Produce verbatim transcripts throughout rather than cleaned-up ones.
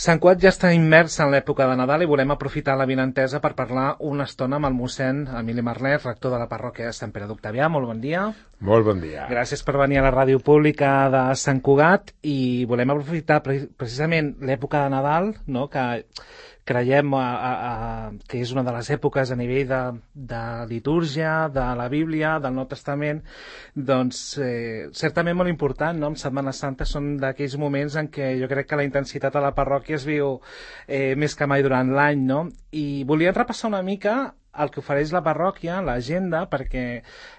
Sant Cugat ja està immers en l'època de Nadal i volem aprofitar la vinentesa per parlar una estona amb el mossèn Emili Marlet, rector de la parròquia de Sant Pere d'Octavià. Molt bon dia. Molt bon dia. Gràcies per venir a la ràdio pública de Sant Cugat i volem aprofitar precisament l'època de Nadal, no?, que creiem a, a, a, que és una de les èpoques a nivell de, de litúrgia, de la Bíblia, del Nou Testament, doncs eh, certament molt important, no? En Setmana Santa són d'aquells moments en què jo crec que la intensitat a la parròquia es viu eh, més que mai durant l'any, no? I volíem repassar una mica el que ofereix la parròquia, l'agenda, perquè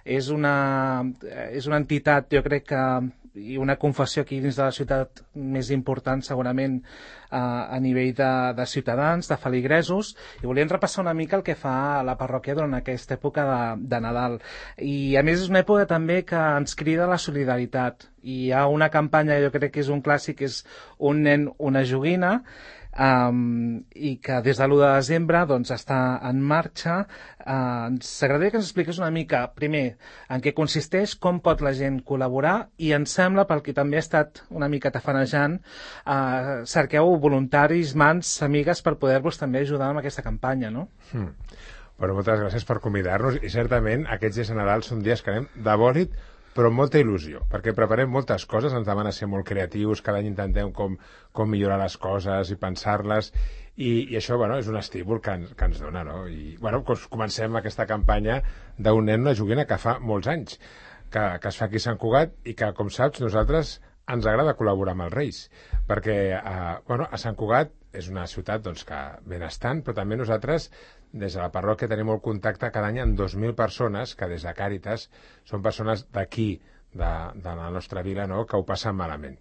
és una, és una entitat, jo crec que, i una confessió aquí dins de la ciutat més important segurament eh, a nivell de, de ciutadans, de feligresos, i volíem repassar una mica el que fa la parròquia durant aquesta època de, de Nadal. I a més és una època també que ens crida la solidaritat. I hi ha una campanya, jo crec que és un clàssic, és Un nen, una joguina, Um, i que des de l'u de desembre doncs, està en marxa. Uh, ens agradaria que ens expliqués una mica, primer, en què consisteix, com pot la gent col·laborar, i ens sembla, pel que també ha estat una mica tafanejant, uh, cerqueu voluntaris, mans, amigues, per poder-vos també ajudar amb aquesta campanya, no? Hmm. Bueno, moltes gràcies per convidar-nos, i certament aquests dies de Nadal són dies que anem de bòlit, però amb molta il·lusió, perquè preparem moltes coses, ens demana ser molt creatius, cada any intentem com, com millorar les coses i pensar-les, i, i això, bueno, és un estímul que ens, que ens dona, no? I, bueno, comencem aquesta campanya d'un nen, una joguina que fa molts anys, que, que es fa aquí a Sant Cugat, i que, com saps, nosaltres ens agrada col·laborar amb els Reis, perquè, eh, bueno, a Sant Cugat és una ciutat, doncs, que benestant, però també nosaltres, des de la parròquia, tenim molt contacte cada any amb dos mil persones, que des de Càritas són persones d'aquí, de, de la nostra vila, no?, que ho passen malament.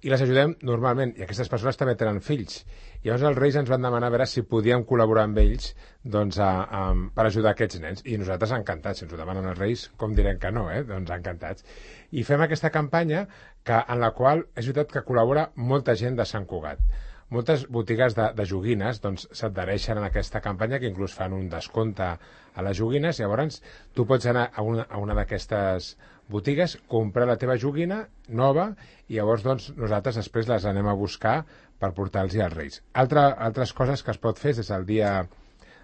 I les ajudem normalment, i aquestes persones també tenen fills. I llavors els Reis ens van demanar a veure si podíem col·laborar amb ells, doncs, a, a, per ajudar aquests nens. I nosaltres encantats, si ens ho demanen els Reis, com direm que no, eh? Doncs encantats. I fem aquesta campanya que, en la qual és veritat que col·labora molta gent de Sant Cugat. Moltes botigues de, de joguines doncs, s'adhereixen a aquesta campanya, que inclús fan un descompte a les joguines. Llavors tu pots anar a una, a una d'aquestes botigues, comprar la teva joguina nova, i llavors doncs, nosaltres després les anem a buscar per portar-los als Reis. Altre, altres coses que es pot fer des del dia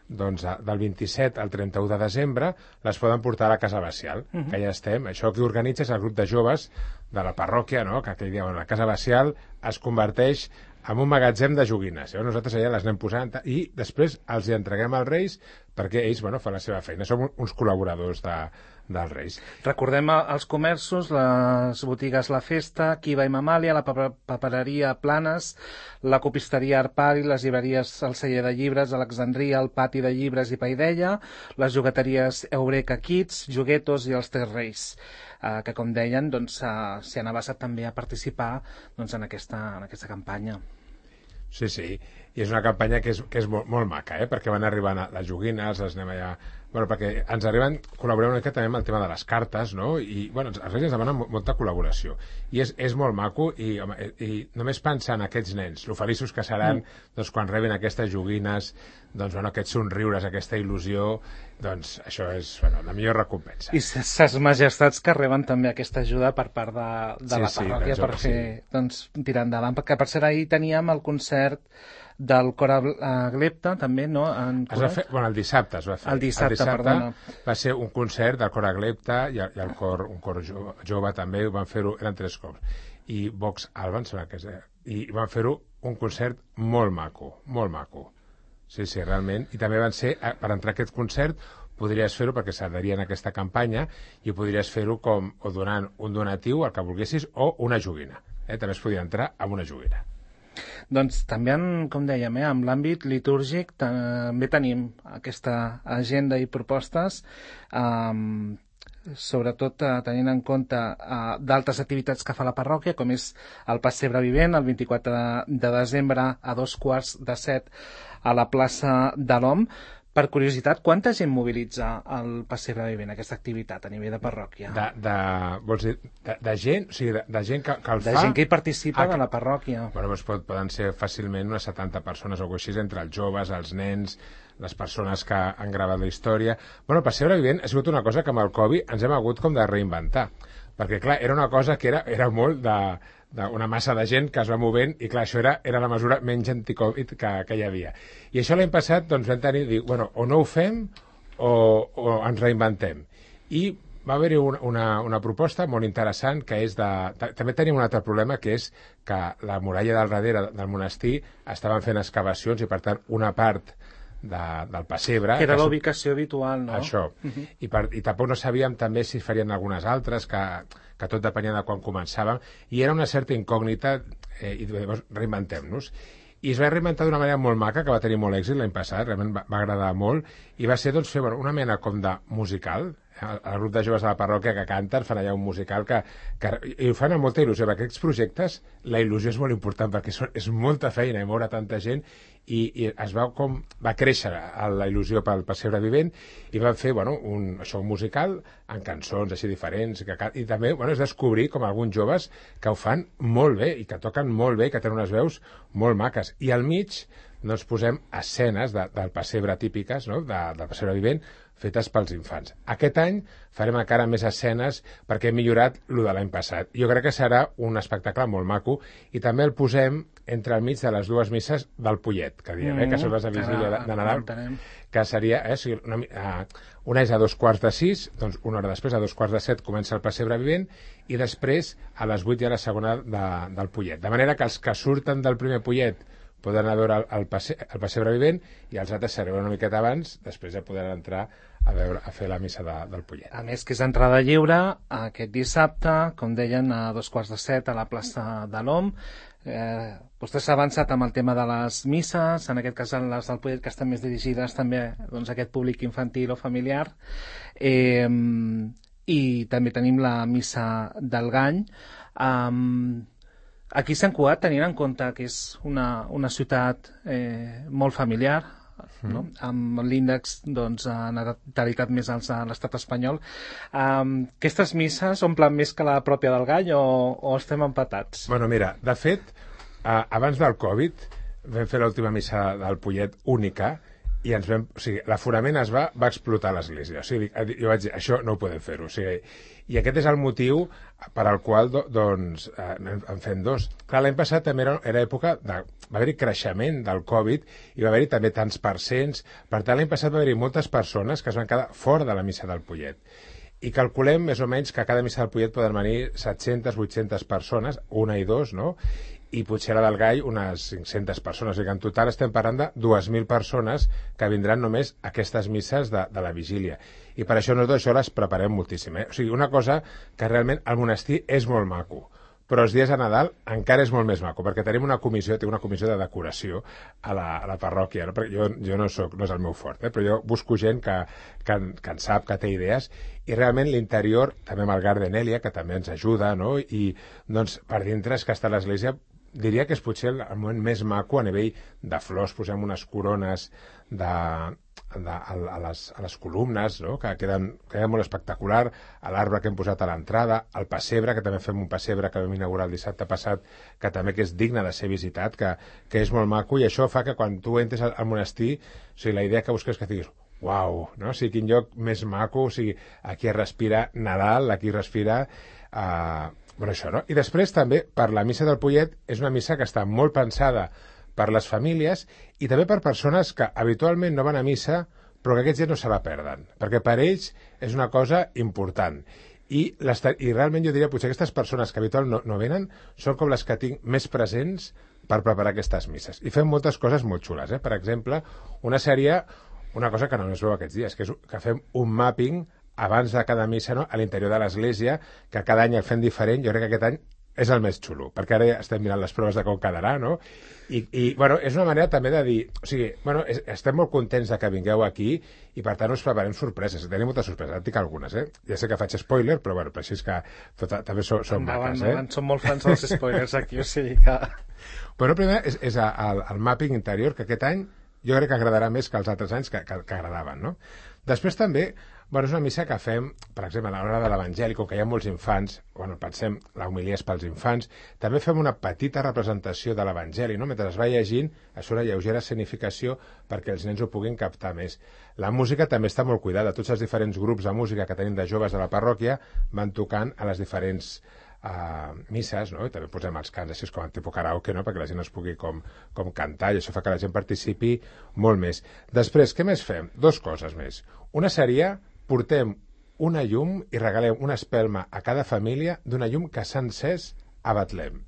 doncs, del vint-i-set al trenta-u de desembre, les poden portar a la Casa Bacial, uh -huh. que ja estem. Això que organitza és el grup de joves de la parròquia, no?, que aquell dia, bueno, la Casa Bacial es converteix en un magatzem de joguines. Llavors nosaltres allà les anem posant i després els hi entreguem als Reis perquè ells, bueno, fan la seva feina. Som uns col·laboradors de, dels Reis. Recordem els comerços, les botigues La Festa, Kiva i Mamàlia, la papereria Planes, la copisteria Arpari, les llibreries El Celler de Llibres, Alexandria, el Pati de Llibres i Paideia, les jugueteries Eureka Kids, Juguetos i els Tres Reis, eh, que, com deien, doncs, eh, s'hi han avançat també a participar doncs, en, aquesta, en aquesta campanya. Sí, sí, i és una campanya que és, que és molt, molt maca, eh? Perquè van arribant les joguines, les anem allà... Bueno, perquè ens arriben, col·laborem una mica també amb el tema de les cartes, no? I, bueno, els Reis ens demanen molta col·laboració. I és, és molt maco, i, home, i només pensar en aquests nens, lo feliços que seran, mm. doncs, quan rebin aquestes joguines, doncs, bueno, aquests somriures, aquesta il·lusió, doncs, això és, bueno, la millor recompensa. I ses majestats que reben també aquesta ajuda per part de, de sí, la parròquia sí, per fer, sí. doncs, tirar endavant. Perquè, per cert, ahir teníem el concert del cor a Glepta, també, no? En es va fer, bueno, el dissabte es va fer. El dissabte, el dissabte perdona. Va ser un concert del cor a Glepta i, i el cor, un cor jove, jove també, van fer-ho, eren tres cops. I Vox Alba, em sembla que és, i van fer-ho un concert molt maco, molt maco. Sí, sí, realment. I també van ser, per entrar a aquest concert, podries fer-ho perquè s'adherien a aquesta campanya i podries fer-ho com o donant un donatiu, el que volguessis, o una joguina. Eh? També es podia entrar amb una joguina. Doncs també, com dèiem, eh, amb l'àmbit litúrgic també tenim aquesta agenda i propostes, eh, sobretot eh, tenint en compte eh, d'altres activitats que fa la parròquia, com és el Pessebre Vivent, el vint-i-quatre de desembre a dos quarts de set a la plaça de l'Om. Per curiositat, quanta gent mobilitza el Pessebre Vivent, aquesta activitat a nivell de parròquia? De, de, vols dir, de, de gent? O sigui, de, de gent que, que el de fa? De gent que hi participa ah, que... de la parròquia. Bueno, doncs pot, poden ser fàcilment unes setanta persones o així, entre els joves, els nens, les persones que han gravat la història. Bueno, el Pessebre Vivent ha sigut una cosa que amb el Covid ens hem hagut com de reinventar, perquè, clar, era una cosa que era, era molt de, d'una massa de gent que es va movent i, clar, això era, era la mesura menys anticovid que, que hi havia. I això l'any passat, doncs, vam tenir, dir, bueno, o no ho fem o, o ens reinventem. I va haver-hi una, una, una proposta molt interessant que és de... També tenim un altre problema, que és que la muralla del darrere del monestir estaven fent excavacions i, per tant, una part de, del pessebre... Que era la ubicació habitual, no? Això. Uh-huh. I, per, I tampoc no sabíem també si farien algunes altres, que, que tot depenia de quan començàvem, i era una certa incògnita, eh, i llavors reinventem-nos. I es va reinventar d'una manera molt maca, que va tenir molt èxit l'any passat, realment va, va agradar molt, i va ser doncs, fer bueno, una mena com de musical, el grup de joves de la parròquia que canten, fan allà un musical que, que i ho fan amb molta il·lusió, perquè aquests projectes la il·lusió és molt important, perquè són, és molta feina i moure tanta gent, i, i es va com va créixer la il·lusió pel pessebre vivent, i van fer bueno, un, això, un musical amb cançons així diferents, que, i també bueno, és descobrir com alguns joves que ho fan molt bé, i que toquen molt bé, i que tenen unes veus molt maques, i al mig doncs, posem escenes de, del pessebre típiques, no? de, del pessebre vivent, fetes pels infants. Aquest any farem encara més escenes perquè hem millorat el de l'any passat. Jo crec que serà un espectacle molt maco, i també el posem entre el mig de les dues misses del Pollet, que diem, mm, eh, que són les de vigília de, de Nadal, que seria, eh, o sigui, una, uh, una és a dos quarts de sis, doncs una hora després, a dos quarts de set, comença el pessebre vivent, i després a les vuit hi ha la segona de, del Pollet. De manera que els que surten del primer Pollet poden anar a veure el, el, passe, el pessebre vivent, i els altres s'arriben una miqueta abans, després ja podran entrar a, veure, a fer la missa de, del Pollet. A més que és entrada lliure aquest dissabte, com deien, a dos quarts de set a la plaça de l'Om. Eh, vostè s'ha avançat amb el tema de les misses, en aquest cas les del Pollet, que estan més dirigides també doncs, a aquest públic infantil o familiar. Eh, I també tenim la missa del Gany. Um, Aquí a Sant Cugat, tenint en compte que és una, una ciutat eh, molt familiar, no? Mm. Amb l'índex doncs, de natalitat més alt a l'estat espanyol, um, aquestes misses omplen més que la pròpia del Gall o, o estem empatats? Bueno, mira, de fet, eh, abans del Covid vam fer l'última missa del Pollet única, i ens vam, o sigui, l'aforament es va, va explotar a l'església. O sigui, jo vaig dir, això no ho podem fer-ho. O sigui, i aquest és el motiu per al qual do, doncs, eh, en fem dos. Clar, l'any passat també era, era època de... va haver-hi creixement del Covid i va haver-hi també tants percents. Per tant, l'any passat va haver-hi moltes persones que es van quedar fora de la missa del Pollet. I calculem més o menys que a cada missa del Pollet poden venir set-centes, vuit-centes persones, una i dos, no? I potser la del Gall unes cinc-centes persones. O sigui que en total estem parlant de dues mil persones que vindran només a aquestes misses de, de la vigília. I per això nosaltres això les preparem moltíssim. Eh? O sigui, una cosa que realment el monestir és molt maco, però els dies de Nadal encara és molt més maco, perquè tenim una comissió, té una comissió de decoració a la, a la parròquia, no? Perquè jo, jo no, soc, no és el meu fort, eh? Però jo busco gent que, que, que en sap, que té idees, i realment l'interior, també amb el Gardenèlia, que també ens ajuda, no? I doncs per dintre és que està l'església, diria que és potser el moment més maco a nivell de flors, posem unes corones de, de, a, a, les, a les columnes, no? que queden, queden molt espectacular, a l'arbre que hem posat a l'entrada, al pessebre, que també fem un pessebre que vam inaugurar el dissabte passat, que també que és digne de ser visitat, que, que és molt maco, i això fa que quan tu entres al, al monestir, o sigui, la idea que busques que diguis, uau, no? O sigui, quin lloc més maco, o sigui, aquí es respira Nadal, aquí es respira... Eh, Bueno, això, no? I després també, per la missa del Pollet, és una missa que està molt pensada per les famílies i també per persones que habitualment no van a missa, però que aquests dies no se la perden, perquè per ells és una cosa important. I, i realment jo diria, potser aquestes persones que habitualment no, no venen són com les que tinc més presents per preparar aquestes misses. I fem moltes coses molt xules, eh? Per exemple, una seria, una cosa que no es veu aquests dies, que és que fem un mapping abans de cada missa, no? A l'interior de l'església, que cada any el fem diferent. Jo crec que aquest any és el més xulo, perquè ara ja estem mirant les proves de com quedarà, no? I, i bueno, és una manera també de dir... O sigui, bueno, és, estem molt contents de que vingueu aquí i, per tant, us preparem sorpreses. Tenim moltes sorpreses, et dic algunes, eh? Ja sé que faig spoiler, però, bueno, però així és que tota, també són, són endavant, maques, eh? Endavant, som molt fans dels spoilers aquí, o sigui que... Bueno, primer és, és el, el mapping interior, que aquest any jo crec que agradarà més que els altres anys que, que, que agradaven, no? Després també Bueno, és una missa que fem, per exemple, a l'hora de l'Evangeli, com que hi ha molts infants, bueno, pensem, la homilia és pels infants, també fem una petita representació de l'Evangeli, no? Mentre es va llegint, es fa una lleugera escenificació perquè els nens ho puguin captar més. La música també està molt cuidada. Tots els diferents grups de música que tenim de joves de la parròquia van tocant a les diferents Uh, misses, no? I també posem els cants així com en tipus karaoke, no? Perquè la gent es pugui com, com cantar i això fa que la gent participi molt més. Després, què més fem? Dos coses més. Una seria, portem una llum i regalem una espelma a cada família d'una llum que s'ha encès a Betlem.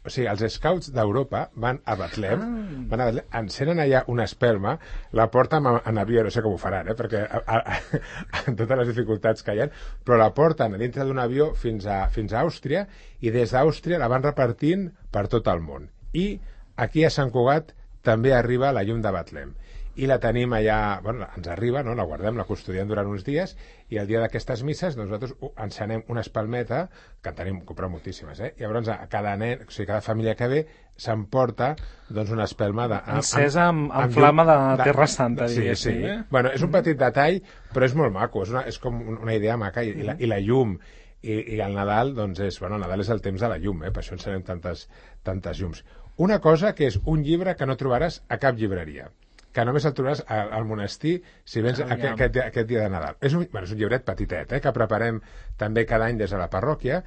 O sigui, els scouts d'Europa van a Betlem, ah. van a Betlem, encenen allà una espelma, la porten en avió, no sé com ho faran, eh? Perquè a, a, a, amb totes les dificultats que hi ha, però la porten a dintre d'un avió fins a, fins a Àustria i des d'Àustria la van repartint per tot el món. I aquí a Sant Cugat també arriba la llum de Betlem. I la tenim allà, bueno, ens arriba, no? La guardem, la custodiem durant uns dies i el dia d'aquestes misses doncs, nosaltres encenem una espalmeta, que en tenim, comprem moltíssimes, eh? I llavors a cada nen, o sigui, cada família que ve s'emporta doncs, una espelma de... Encesa amb, amb, amb, amb flama de, de Terra Santa, sí, diguéssim. Sí. Eh? Bueno, és un petit detall, però és molt maco, és, una, és com una idea maca i, mm. i, la, i la llum i, i el Nadal, doncs és, bueno, el Nadal és el temps de la llum, eh? Per això encenem tantes, tantes llums. Una cosa que és un llibre que no trobaràs a cap llibreria, que només el trobaràs al, al monestir si vens aquest, aquest, aquest dia de Nadal. És un, bueno, és un llibret petitet, eh, que preparem també cada any des de la parròquia,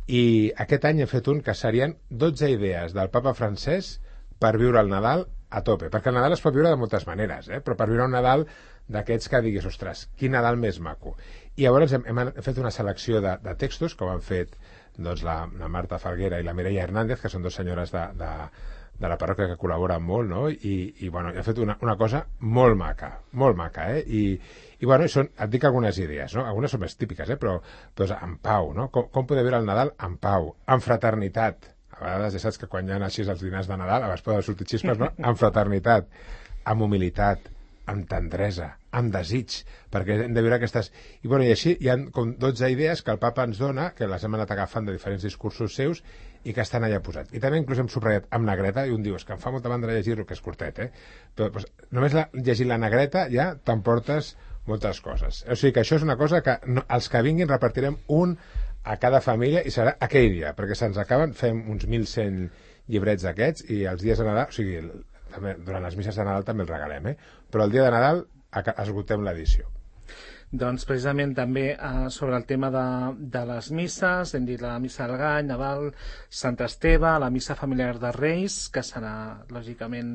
i aquest any he fet un que serien dotze idees del papa francès per viure el Nadal a tope, perquè el Nadal es pot viure de moltes maneres, eh, però per viure un Nadal d'aquests que diguis, ostres, quin Nadal més maco. I llavors hem, hem fet una selecció de, de textos, com han fet doncs, la, la Marta Falguera i la Mireia Hernández, que són dues senyores de, de de la parròquia que col·laboren molt, no? I, i bueno, he fet una, una cosa molt maca, molt maca, eh? I, i bueno, són, et dic algunes idees, no? Algunes són més típiques, eh? Però, doncs, en pau, no? Com, com poder viure el Nadal en pau, en fraternitat. A vegades ja saps que quan hi ha així els dinars de Nadal, a vegades poden sortir xispes, no? En fraternitat, amb humilitat, amb tendresa, amb desig, perquè hem de viure aquestes... I, bueno, i així hi ha com dotze idees que el papa ens dona, que les hem anat agafant de diferents discursos seus i que estan allà posats. I també inclús hem subratllat amb negreta, i un diu, és que em fa molta mandra llegir-lo, que és curtet, eh? Però doncs, només la, llegint la negreta ja t'emportes moltes coses. O sigui que això és una cosa que no, els que vinguin repartirem un a cada família i serà aquell dia, perquè se'ns acaben, fem uns mil cent llibrets d'aquests i els dies de Nadal, o sigui, també, durant les misses de Nadal també els regalem, eh? Però el dia de Nadal esgotem l'edició. Doncs precisament també eh, sobre el tema de, de les misses, hem dit la missa del Gall, Nadal, Sant Esteve, la missa familiar de Reis, que serà lògicament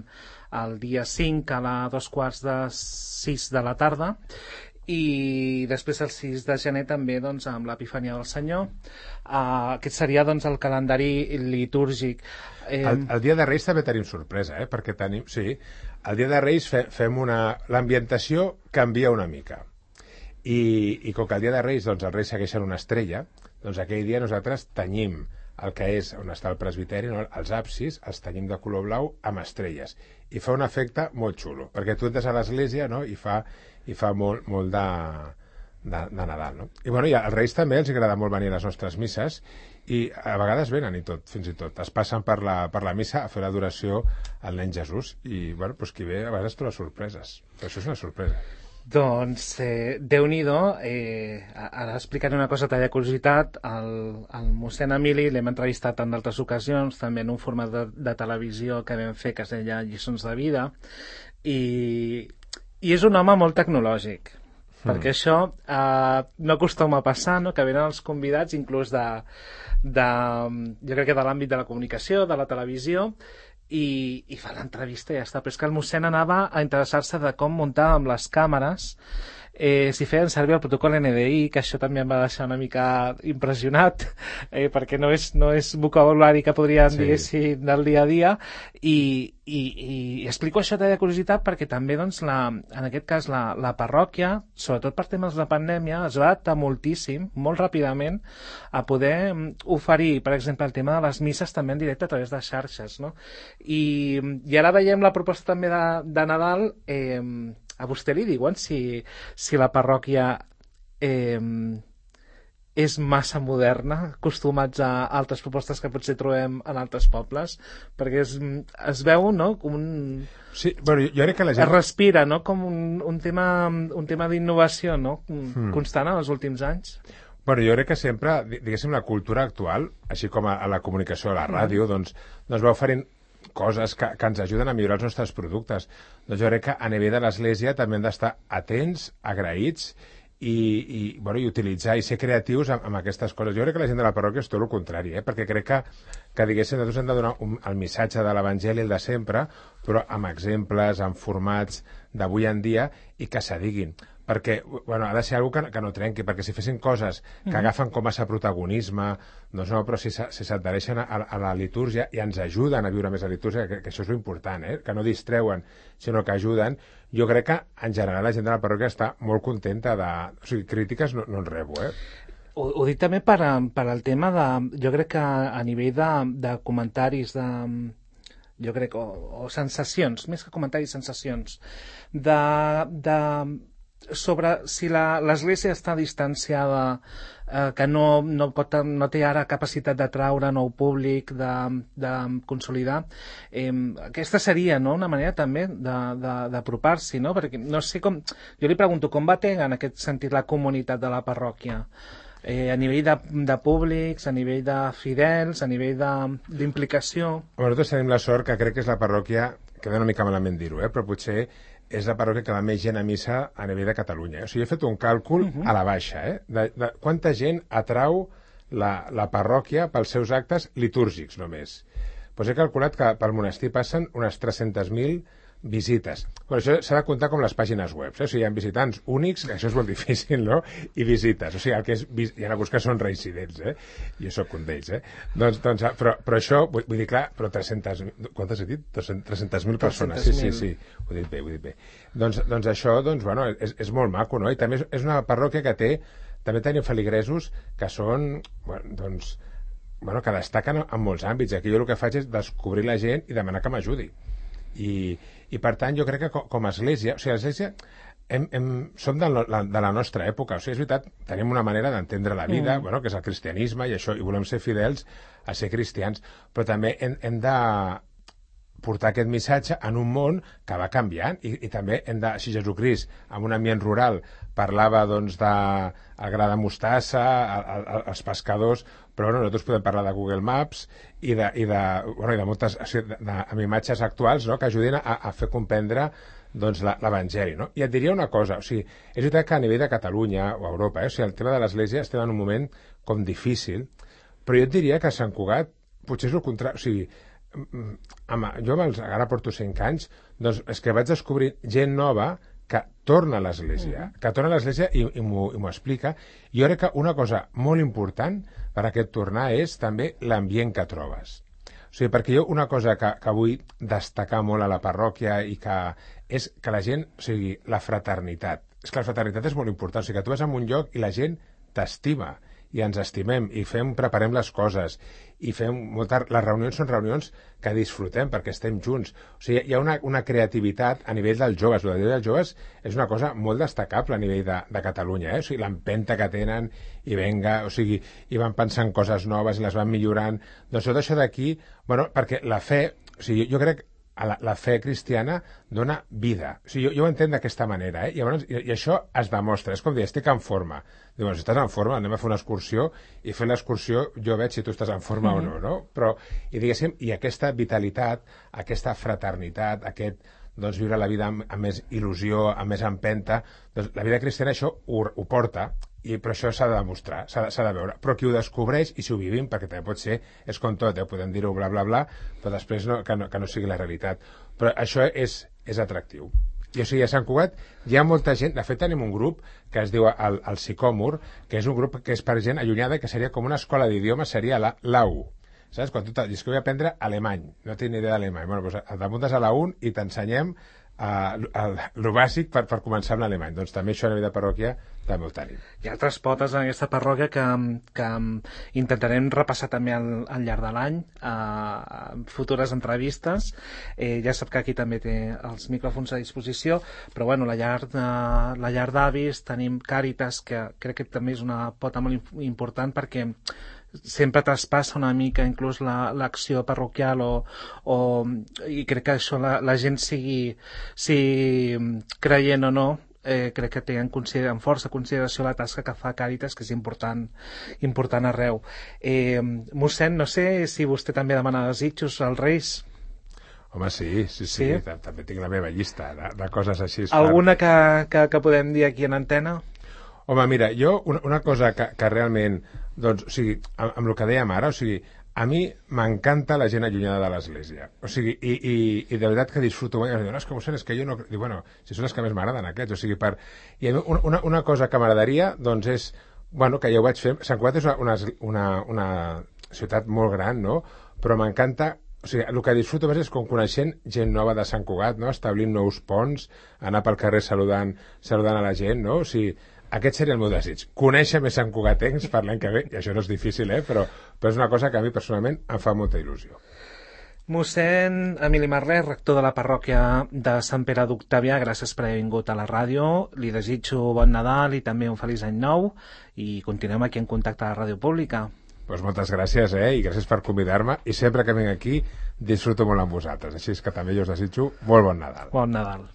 el dia cinc a les dos quarts de sis de la tarda, i després el sis de gener també doncs, amb l'Epifania del Senyor. Uh, aquest seria doncs, el calendari litúrgic. Eh... El, el dia de Reis també tenim sorpresa, eh? Perquè tenim, sí, el dia de Reis fe, fem una... l'ambientació canvia una mica. I, i com que el dia de Reis doncs, els Reis segueixen una estrella, doncs aquell dia nosaltres tenyim el que és on està el presbiteri, no? Els absis, els tenyim de color blau amb estrelles. I fa un efecte molt xulo, perquè tu entres a l'església, no? i fa, i fa molt, molt de, de, de Nadal. No? I, bueno, i als Reis també els agrada molt venir a les nostres misses, i a vegades venen i tot, fins i tot. Es passen per la, per la missa a fer l'adoració al nen Jesús, i bueno, doncs qui ve a vegades troba sorpreses. Però això és una sorpresa. Doncs, eh, Déu-n'hi-do, eh, ara explicaré una cosa talla curiositat. El, el mossèn Emili l'hem entrevistat en d'altres ocasions, també en un format de, de televisió que vam fer que es deia Lliçons de Vida, i, i és un home molt tecnològic, mm. perquè això eh, no acostuma a passar, no? Que venen els convidats inclús de, de, jo crec que de l'àmbit de la comunicació, de la televisió, i, i fa l'entrevista i ja està, però és que el mossèn anava a interessar-se de com muntar amb les càmeres, eh, si feien servir el protocol N D I, que això també em va deixar una mica impressionat, eh, perquè no és, no és vocabulari que podríem sí. dir del dia a dia, i, i, i explico això de curiositat perquè també doncs, la, en aquest cas la, la parròquia, sobretot per temes de pandèmia, es va adaptar moltíssim, molt ràpidament, a poder oferir, per exemple, el tema de les misses també en directe a través de xarxes, no? I, i ara veiem la proposta també de, de Nadal. eh, A vostè li diuen si, si la parròquia eh, és massa moderna, acostumats a altres propostes que potser trobem en altres pobles, perquè es, es veu, no?, com un... Sí, bueno, jo crec que la gent... Es respira, no?, com un, un tema, un tema d'innovació, no?, hmm. constant en els últims anys. Bueno, jo crec que sempre, diguéssim, la cultura actual, així com a, a la comunicació, a la ràdio, mm. doncs, doncs va oferint coses que, que ens ajuden a millorar els nostres productes. Doncs jo crec que a nivell de l'Església també hem d'estar atents, agraïts i, i, bueno, i utilitzar i ser creatius amb, amb aquestes coses. Jo crec que la gent de la parròquia és tot el contrari, eh? Perquè crec que, que diguéssim, nosaltres hem de donar un, el missatge de l'Evangeli, el de sempre, però amb exemples, amb formats d'avui en dia i que s'adiguin. Perquè, bueno, ha de ser algo que, que no trenqui, perquè si fessin coses que mm-hmm. agafen com a protagonisme, doncs no, però si, si s'adhereixen a, a la litúrgia i ens ajuden a viure més la litúrgia, que, que això és important, eh? Que no distreuen, sinó que ajuden, jo crec que en general la gent de la parròquia està molt contenta de... O sigui, crítiques no, no en rebo, eh? Ho, ho dic també per, per al tema de... Jo crec que a nivell de, de comentaris de... jo crec, o, o sensacions, més que comentaris, sensacions, de... de sobre si l'Església està distanciada, eh, que no, no, pot, no té ara capacitat de traure nou públic, de, de consolidar, eh, aquesta seria, no?, una manera també d'apropar-s'hi, no?, perquè no sé com... Jo li pregunto, com va tenir en aquest sentit la comunitat de la parròquia? Eh, a nivell de, de públics, a nivell de fidels, a nivell d'implicació... Bueno, nosaltres tenim la sort que crec que és la parròquia, queda una mica malament dir-ho, eh, però potser és la parròquia que va més gent a missa a nivell de Catalunya. O sigui, he fet un càlcul uh-huh. a la baixa, eh? De, de quanta gent atrau la, la parròquia pels seus actes litúrgics, només. Doncs he calculat que pel monestir passen unes tres-centes mil visites. Però això s'ha de comptar com les pàgines web. Eh? O sigui, hi ha visitants únics, que això és molt difícil, no?, i visites. O sigui, el que és... Hi ha alguns que són reincidents, eh? Jo sóc un d'ells, eh? Doncs, doncs, però, però això, vull, vull dir, clar, però tres-centes... Quantes he dit? tres-centes mil persones. Sí, sí, sí. Ho he dit bé, ho he dit bé. Doncs, doncs això, doncs, bueno, és, és molt maco, no? I també és, és una parròquia que té... També tenim feligresos que són, bueno, doncs... Bueno, que destaquen en molts àmbits. Aquí jo el que faig és descobrir la gent i demanar que m'ajudi. I, i per tant jo crec que com, com a església, o sigui, l'església hem, hem, som de la, de la nostra època, o sigui, és veritat, tenim una manera d'entendre la vida, mm. bueno, que és el cristianisme i això, i volem ser fidels a ser cristians, però també hem, hem de portar aquest missatge en un món que va canviant i, i també hem de, si Jesucrist en un ambient rural parlava doncs de el gra de mostassa, el, el, els pescadors, però bueno, nosaltres podem parlar de Google Maps i de, i de, bueno, i de moltes de, de, amb imatges actuals, no?, que ajudin a, a fer comprendre doncs, l'Evangeli, no? I et diria una cosa, o sigui, és veritat que a nivell de Catalunya o Europa, eh, o sigui, el tema de l'Església estem en un moment com difícil, però jo et diria que a Sant Cugat potser és el contrari, o sigui, amb, jo amb els, ara porto cinc anys, doncs és que vaig descobrir gent nova que torna a l'Església, que torna a l'Església i, i m'ho explica. Jo crec que una cosa molt important per aquest tornar és també l'ambient que trobes. O sigui, perquè jo una cosa que, que vull destacar molt a la parròquia i que és que la gent, o sigui, la fraternitat. És que la fraternitat és molt important. O sigui, que tu vas a un lloc i la gent t'estima i ens estimem i fem, preparem les coses i fem moltes... Les reunions són reunions que disfrutem perquè estem junts. O sigui, hi ha una, una creativitat a nivell dels joves. El nivell dels joves és una cosa molt destacable a nivell de, de Catalunya, eh? O sigui, l'empenta que tenen i venga, o sigui, i van pensant coses noves i les van millorant. Doncs tot això d'aquí, bueno, perquè la fe, o sigui, jo crec a la, la fe cristiana dona vida. O sigui, jo, jo ho entenc d'aquesta manera, eh? I, llavors, i, i això es demostra. És com dir, estic en forma. Diu, bueno, si estàs en forma, anem a fer una excursió i fent l'excursió jo veig si tu estàs en forma mm-hmm. o no, no? Però, i diguéssim, i aquesta vitalitat, aquesta fraternitat, aquest, doncs, viure la vida amb, amb més il·lusió, amb més empenta, doncs la vida cristiana això ho, ho porta, i però això s'ha de demostrar, s'ha de, de veure. Però qui ho descobreix i si ho vivim, perquè també pot ser, és com tot, eh? Podem dir-ho bla, bla, bla, però després no, que, no, que no sigui la realitat. Però això és, és atractiu. I o sigui, a Sant Cugat hi ha molta gent, de fet tenim un grup que es diu el, el Sicòmor, que és un grup que és per gent allunyada, que seria com una escola d'idiomes, seria la, la U. Saps? Quan tu dius que vull aprendre alemany, no tinc ni idea d'alemany, bueno, doncs t'apuntes a la U i t'ensenyem uh, el, el bàsic per, per començar amb l'alemany. Doncs també això a nivell de parròquia també ho tenim. Hi ha altres potes en aquesta parròquia que, que intentarem repassar també al, al llarg de l'any a futures entrevistes. Eh, ja sap que aquí també té els micròfons a disposició, però bueno, la llar, de, la llar d'avis, tenim Càritas, que crec que també és una pota molt important perquè sempre traspassa una mica inclús l'acció la, parroquial o, o, i crec que això la, la gent sigui, sigui creient o no, eh, crec que té en, en força consideració la tasca que fa Càritas, que és important, important arreu. Eh, mossèn, no sé si vostè també demana desitjos als Reis. Home, sí, sí, sí, sí? També tinc la meva llista de, de coses així. Alguna que, que, que podem dir aquí en antena? Home, mira, jo una, una cosa que, que realment, doncs, o sigui, amb, amb el que dèiem ara, o sigui, a mi m'encanta la gent allunyada de l'Església. O sigui, i, i, i de veritat que disfruto molt. I em diuen, no, és que mossèn, és que jo no... Dic, bueno, si són els que més m'agraden aquests, o sigui, per... I a mi una, una cosa que m'agradaria, doncs, és... Bueno, que ja ho vaig fer... Sant Cugat és una, una, una ciutat molt gran, no? Però m'encanta... O sigui, el que disfruto més és com coneixent gent nova de Sant Cugat, no? Establint nous ponts, anar pel carrer saludant, saludant a la gent, no? O sigui, aquest seria el meu desig. Conèixer més Sant Cugatencs per l'any que ve, i això no és difícil, eh? Però, però és una cosa que a mi personalment em fa molta il·lusió. Mossèn Emili Marlès, rector de la parròquia de Sant Pere d'Octavià, gràcies per haver vingut a la ràdio. Li desitjo bon Nadal i també un feliç any nou i continuem aquí en contacte a la ràdio pública. Doncs moltes gràcies, eh? I gràcies per convidar-me. I sempre que vinc aquí disfruto molt amb vosaltres. Així és que també jo us desitjo molt bon Nadal. Bon Nadal.